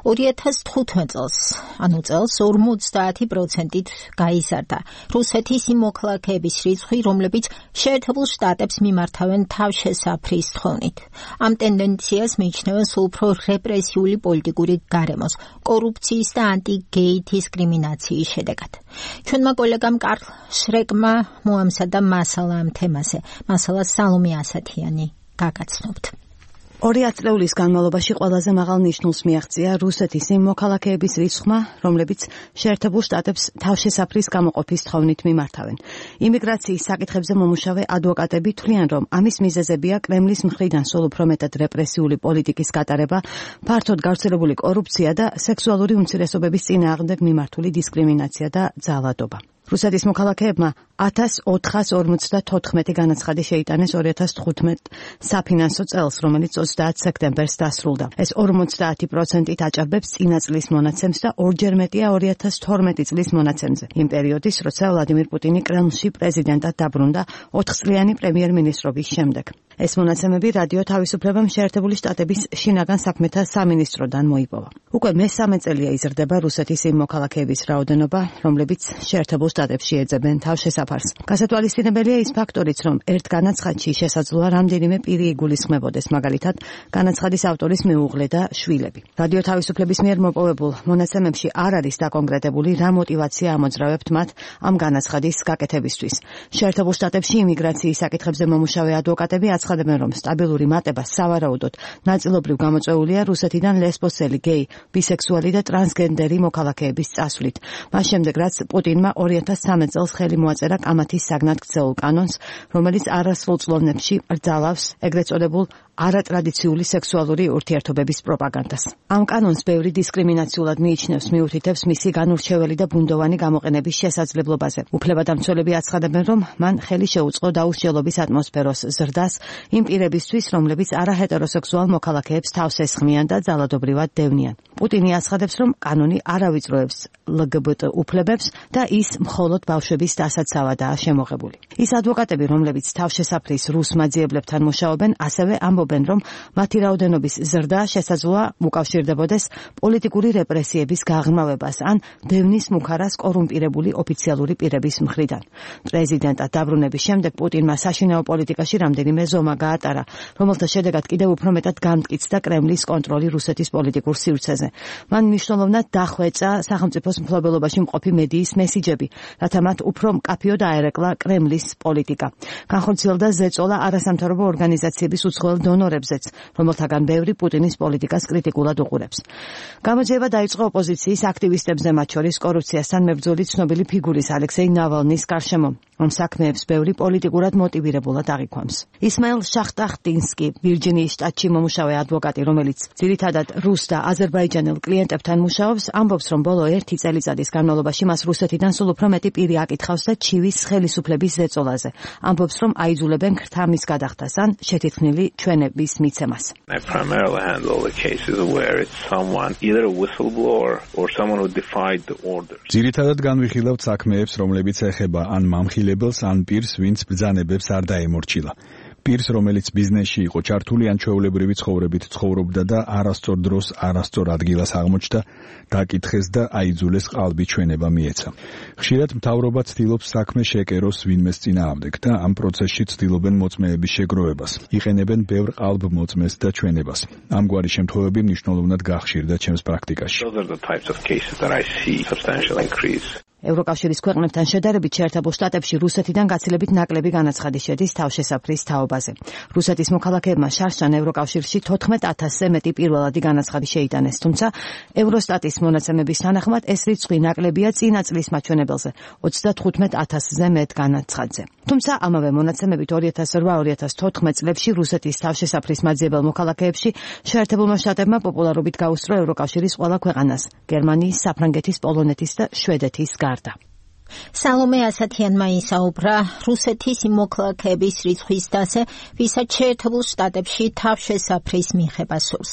2015 წელს, ანუ წელს 50%-ით გაიზარდა რუსეთის იმ მოქალაქეების რიცხვი, რომლებიც შეერთებულ შტატებს მიმართავენ თავშესაფრის თხოვნით. ამ ტენდენციას მიიჩნევენ სულ უფრო რეპრესიული პოლიტიკური გარემოს, კორუფციის და ანტიგეი დისკრიმინაციის შედეგად. ჩვენმა კოლეგამ კარლ შრეკმა მოამზადა მასალა ამ თემაზე. მასალას სალომე ასათიანი გაგაცნობთ. 2 ათწლეულის განმავლობაში ყველაზე მაღალ ნიშნულს მიაღწია რუსეთის იმ მოქალაქეების რიცხვმა, რომლებიც შეერთებულ შტატებს თავშესაფრის გამოყოფის თხოვნით მიმართავენ. იმიგრაციის საკითხებზე მომუშავე ადვოკატები თვლიან, რომ ამის მიზეზებია კრემლის მხრიდან სულ უფრო მეტად რეპრესიული პოლიტიკის გატარება, ფართოდ გავრცელებული კორუფცია და სექსუალური უმცირესობების წინააღმდეგ მიმართული დისკრიმინაცია და ძალადობა. რუსეთის მოქალაქეებმა 1454 განაცხადი შეიტანეს 2015 საფინანსო წელს, რომელიც 30 სექტემბერს დასრულდა. ეს 50%-ით აჭარბებს წინა წლის მონაცემს და ორჯერ მეტია 2012 წლის მონაცემზე. იმ პერიოდის, როცა ვლადიმირ პუტინი კრემლში პრეზიდენტად დაბრუნდა 4 წლიანი პრემიერ-მინისტრობის შემდეგ. ეს მონაცემები რადიო თავისუფლებამ შეერთებული შტატების შინაგან საქმეთა სამინისტროდან მოიპოვა. უკვე მესამე წელია იზრდება რუსეთის იმ მოქალაქეების რაოდენობა, რომლებიც შეერთებულ შტატებში ეძებენ თავშესაფარს. გასათვალისწინებელია ის ფაქტორიც, რომ ერთ განაცხადში შესაძლოა რამდენიმე პირი იგულისხმებოდეს, მაგალითად, განაცხადის ავტორის მეუღლე და შვილები. რადიო თავისუფლების მიერ მოპოვებულ მონაცემებში არ არის დაკონკრეტებული, რა მოტივაცია ამოძრავებთ მათ ამ განაცხადის გაკეთებისთვის. შეერთებულ შტატებში იმიგრაციის საკითხებზე მომუშავე ადვოკატები აცხადებენ, რომ სტაბილური მატება სავარაუდოდ ნაწილობრივ გამოწვეულია რუსეთიდან ლესბოსელი, გეი, ბისექსუალი და ტრანსგენდერი მოქალაქეების წასვლით. მას შემდეგ, რაც პუტინმა 2013 წელს ხელი მოაწერა კამათის საგნად ქცეულ კანონს, რომელიც არასრულ წლოვნებში რძალავს ეგრეთ წოდებულ არატრადიციული სექსუალური ურთიერთობების პროპაგანდას. ამ კანონს ბევრი დისკრიმინაციულად მიიჩნევს, მიუთითებს მისი განურჩეველი და ბუნდოვანი გამოყენების შესაძლებლობაზე. უფლებადამცველები აცხადებენ, რომ მან ხელი შეუწყო დაუსჯელობის ატმოსფეროს ზრდას იმ პირებისთვის, რომლებიც არაჰეტეროსექსუალ მოქალაქეებს თავს ესხმიან და ძალადობრივად დევნიან. პუტინი აცხადებს, რომ კანონი არავიწროებს LGBT უფლებებს და ის მხოლოდ ბავშვების დასაცავადაა შემოღებული. ის ადვოკატები, რომლებიც თავშესაფრის რუს მაძიებლებთან მუშაობენ, ასევე ამბობენ, რომ მათი რაოდენობის ზრდა შესაძლოა უკავშირდებოდეს პოლიტიკური რეპრესიების გაღრმავებას ან დევნის მუხარას კორუმპირებული ოფიციალური პირების მხრიდან. პრეზიდენტად დაბრუნების შემდეგ პუტინმა საშინაო პოლიტიკაში რამდენიმე ზომა გაატარა, რომელთა შედეგად კიდევ უფრო მეტად განმტკიცდა კრემლის კონტროლი რუსეთის პოლიტიკურ სივრცეზე. მან მნიშვნელოვნად დახვეწა სახელმწიფოს მფლობელობაში მყოფი მედიის მესიჯები, რათა მათ უფრო მკაფიოდ აერეკლა კრემლის პოლიტიკა. განხორციელდა ზეწოლა არასამთავრობო ორგანიზაციების უცხოელ დონორებზეც, რომელთაგან ბევრი პუტინის პოლიტიკას კრიტიკულად უყურებს. გამოძიება დაიწყო ოპოზიციის აქტივისტებზე, მათ შორის კორუფციასთან მებრძოლი ცნობილი ფიგურის ალექსეი ნავალნის გარშემო. ამ საქმეებს ბევრი პოლიტიკურად მოტივირებულად აღიქვამს. ისმაილ შახტახტინსკი, ვირჯინიის შტატში მომუშავე ადვოკატი, რომელიც ძირითადად რუს და აზერბაიჯანელ კლიენტებთან მუშაობს, ამბობს, რომ ბოლო 1 წელიწადის განმავლობაში მას რუსეთიდან სულ უფრო მეტი პირი აკითხავს და ჩივის ხელისუფლების ზეწოლაზე. ამბობს, რომ აიძულებენ ქრთამის გადახდას ან შეთითხნილი ჩვენების მიცემას. I primarily handle the cases where it's someone, either a whistleblower or someone who defied the orders. ძირითადად განვიხილავთ საქმეებს, რომლებიც ეხება ან მამხილებელს, ან პირს, ვინც ბრძანებებს არ დაემორჩილა. პირს, რომელიც ბიზნესში იყო ჩართული, ან ჩვეულებრივი ცხოვრებით ცხოვრობდა და არასწორ დროს, არასწორ ადგილას აღმოჩნდა, დაკითხეს და აიძულეს ყალბი ჩვენება მიეცა. ხშირად მთავრობა ცდილობს საქმე შეკეროს ვინმეს წინააღმდეგ და ამ პროცესში ცდილობენ მოწმეების შეგროვებას. იყენებენ ბევრ ყალბ მოწმეს და ჩვენებას. ამგვარი შემთხვევები მნიშვნელოვნად გახშირდა ჩემს პრაქტიკაში. Those are the types of cases that I see substantial increase. ევროკავშირის ქვეყნებთან შედარებით შეერთებულ შტატებში რუსეთიდან გაცილებით ნაკლები განაცხადი შედის თავშესაფრის თაობაზე. რუსეთის მოქალაქეებმა შარშან ევროკავშირში 14,000-ზე მეტი პირველადი განაცხადი შეიტანეს, თუმცა ევროსტატის მონაცემების თანახმად ეს რიცხვი ნაკლებია წინა წლის მაჩვენებელზე 35,000-ზე მეტ განაცხადზე. თუმცა ამავე მონაცემებით 2008-2014 წლებში რუსეთის თავშესაფრის მაძიებელ მოქალაქეებში შეერთებულმა შტატებმა პოპულარობით გაუსწრო ევროკავშირის ყველა ქვეყანას, გერმანიის, საფრანგეთის, პოლონეთის და შვედეთის გარდა. სალომე ასათიანმა ისაუბრა რუსეთის იმ მოქალაქეების რიცხვის დასზე, ვისაც შეერთებულ შტატებში თავშესაფრის მიღება სურს.